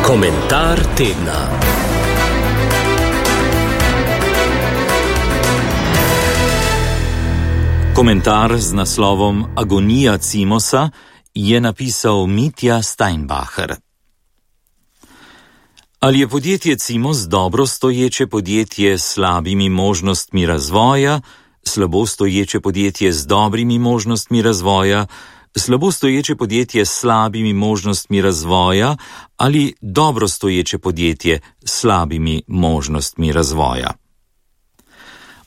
Komentar tedna. Komentar z naslovom Agonija Cimosa je napisal Mitja Steinbacher. Ali je podjetje Cimos dobro stoječe podjetje s slabimi možnostmi razvoja, slabo stoječe podjetje z dobrimi možnostmi razvoja, slabo stoječe podjetje s slabimi možnostmi razvoja ali dobro stoječe podjetje s slabimi možnostmi razvoja?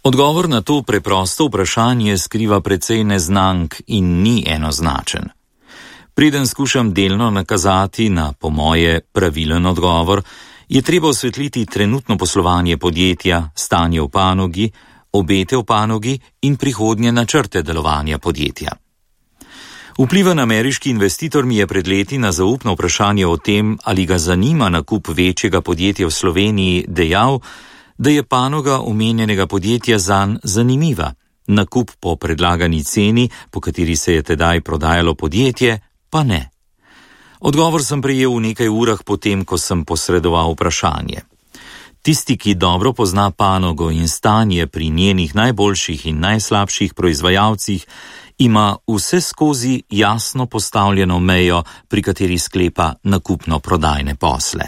Odgovor na to preprosto vprašanje skriva precej neznank in ni enoznačen. Preden skušam delno nakazati na, po moje, pravilen odgovor, je treba osvetliti trenutno poslovanje podjetja, stanje v panogi, obete v panogi in prihodnje načrte delovanja podjetja. Vplivan ameriški investitor mi je pred leti na zaupno vprašanje o tem, ali ga zanima nakup večjega podjetja v Sloveniji, dejal, da je panoga omenjenega podjetja zanj zanimiva, nakup po predlagani ceni, po kateri se je tedaj prodajalo podjetje, pa ne. Odgovor sem prejel v nekaj urah potem, ko sem posredoval vprašanje. Tisti, ki dobro pozna panogo in stanje pri njenih najboljših in najslabših proizvajalcih, ima vse skozi jasno postavljeno mejo, pri kateri sklepa nakupno-prodajne posle.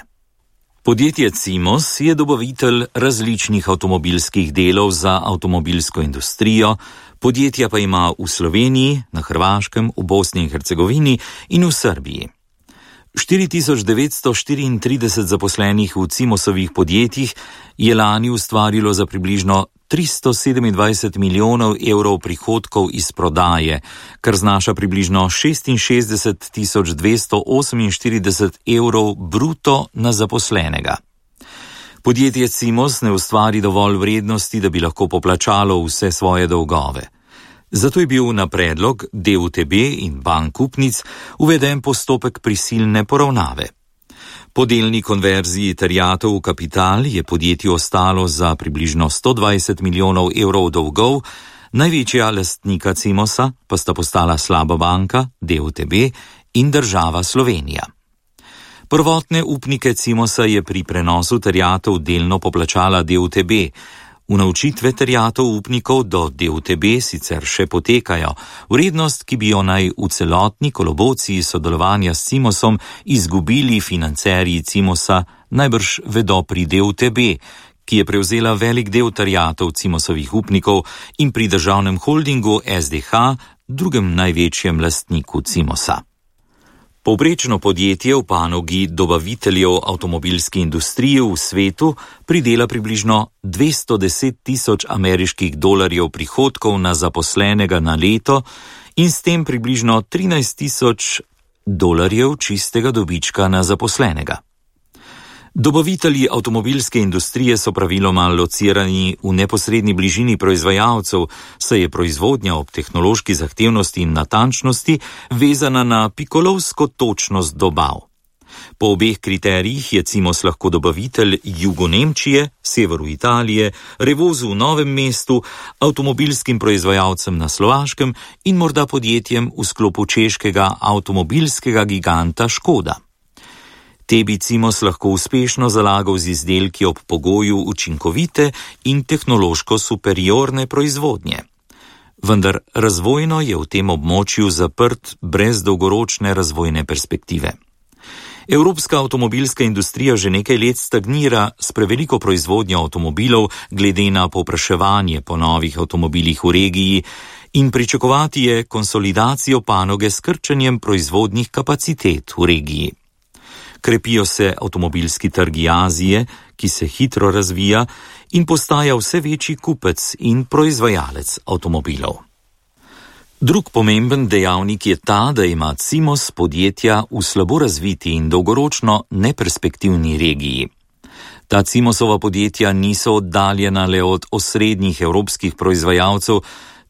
Podjetje Cimos je dobavitelj različnih avtomobilskih delov za avtomobilsko industrijo, podjetja pa ima v Sloveniji, na Hrvaškem, v Bosni in Hercegovini in v Srbiji. 4934 zaposlenih v Cimosovih podjetjih je lani ustvarilo za približno 327 milijonov evrov prihodkov iz prodaje, kar znaša približno 66.248 evrov bruto na zaposlenega. Podjetje Cimos ne ustvari dovolj vrednosti, da bi lahko poplačalo vse svoje dolgove. Zato je bil na predlog DUTB in bank upnic uveden postopek prisilne poravnave. Po delni konverziji terjatev v kapital je podjetju ostalo za približno 120 milijonov evrov dolgov, največja lastnika Cimosa pa sta postala slaba banka, DUTB in država Slovenija. Prvotne upnike Cimosa je pri prenosu terjatev delno poplačala DUTB, unovčitve terjatev upnikov do DUTB sicer še potekajo, vrednost, ki bi jo naj v celotni kolobociji sodelovanja s Cimosom izgubili financerji Cimosa, najbrž vedo pri DUTB, ki je prevzela velik del terjatev Cimosovih upnikov in pri državnem holdingu SDH, drugem največjem lastniku Cimosa. Povprečno podjetje v panogi dobaviteljev avtomobilski industriji v svetu pridela približno 210.000 ameriških dolarjev prihodkov na zaposlenega na leto in s tem približno 13.000 dolarjev čistega dobička na zaposlenega. Dobavitelji avtomobilske industrije so praviloma locirani v neposredni bližini proizvajalcev, saj je proizvodnja ob tehnološki zahtevnosti in natančnosti vezana na pikolovsko točnost dobav. Po obeh kriterijih je Cimos lahko dobavitelj jugu Nemčije, severu Italije, Revozu v Novem mestu, avtomobilskim proizvajalcem na Slovaškem in morda podjetjem v sklopu češkega avtomobilskega giganta Škoda. Te bi Cimos lahko uspešno zalagal z izdelki ob pogoju učinkovite in tehnološko superiorne proizvodnje. Vendar razvojno je v tem območju zaprt brez dolgoročne razvojne perspektive. Evropska avtomobilska industrija že nekaj let stagnira s preveliko proizvodnjo avtomobilov glede na povpraševanje po novih avtomobilih v regiji in pričakovati je konsolidacijo panoge s krčenjem proizvodnih kapacitet v regiji. Krepijo se avtomobilski trgi Azije, ki se hitro razvija in postaja vse večji kupec in proizvajalec avtomobilov. Drug pomemben dejavnik je ta, da ima Cimos podjetja v slabo razviti in dolgoročno neperspektivni regiji. Ta Cimosova podjetja niso oddaljena le od osrednjih evropskih proizvajalcev,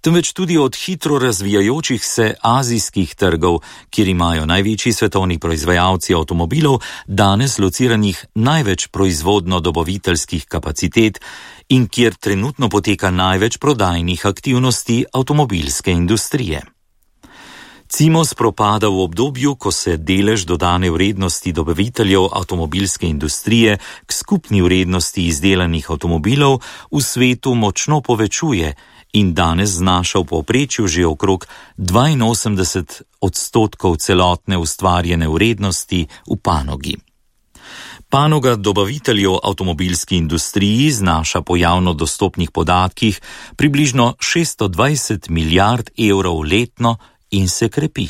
temveč tudi od hitro razvijajočih se azijskih trgov, kjer imajo največji svetovni proizvajalci avtomobilov danes lociranih največ proizvodno-dobaviteljskih kapacitet in kjer trenutno poteka največ prodajnih aktivnosti avtomobilske industrije. Cimos propada v obdobju, ko se delež dodane vrednosti dobaviteljev avtomobilske industrije k skupni vrednosti izdelanih avtomobilov v svetu močno povečuje in danes znaša v povprečju že okrog 82% celotne ustvarjene vrednosti v panogi. Panoga dobaviteljev avtomobilski industriji znaša po javno dostopnih podatkih približno 620 milijard evrov letno in se krepi.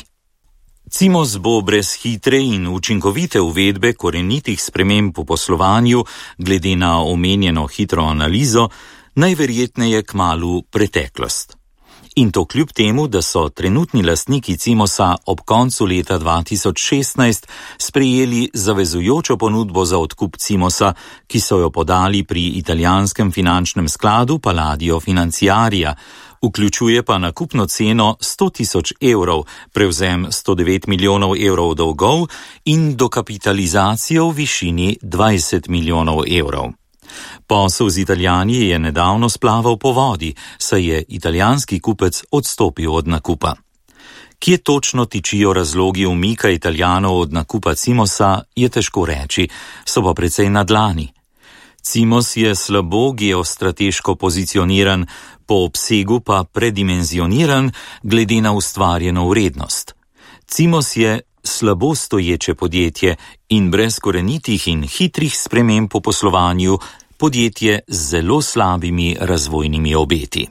Cimos bo brez hitre in učinkovite uvedbe korenitih sprememb v poslovanju glede na omenjeno hitro analizo najverjetneje kmalu preteklost. In to kljub temu, da so trenutni lastniki Cimosa ob koncu leta 2016 sprejeli zavezujočo ponudbo za odkup Cimosa, ki so jo podali pri italijanskem finančnem skladu Palladio Financiaria, vključuje pa nakupno ceno 100.000 evrov, prevzem 109 milijonov evrov dolgov in dokapitalizacijo v višini 20 milijonov evrov. Posel z Italijani je nedavno splaval po vodi, saj je italijanski kupec odstopil od nakupa. Kje točno tičijo razlogi umika Italijanov od nakupa Cimosa, je težko reči, so pa precej na dlani. Cimos je slabo geostrateško pozicioniran, po obsegu pa predimenzioniran glede na ustvarjeno vrednost. Cimos je slabo stoječe podjetje in brez korenitih in hitrih sprememb po poslovanju podjetje z zelo slabimi razvojnimi obeti.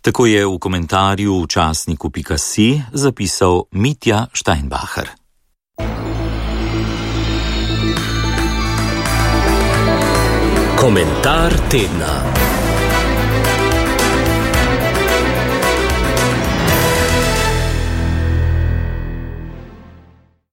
Tako je v komentarju v časniku.si zapisal Mitja Steinbacher. Komentar tedna.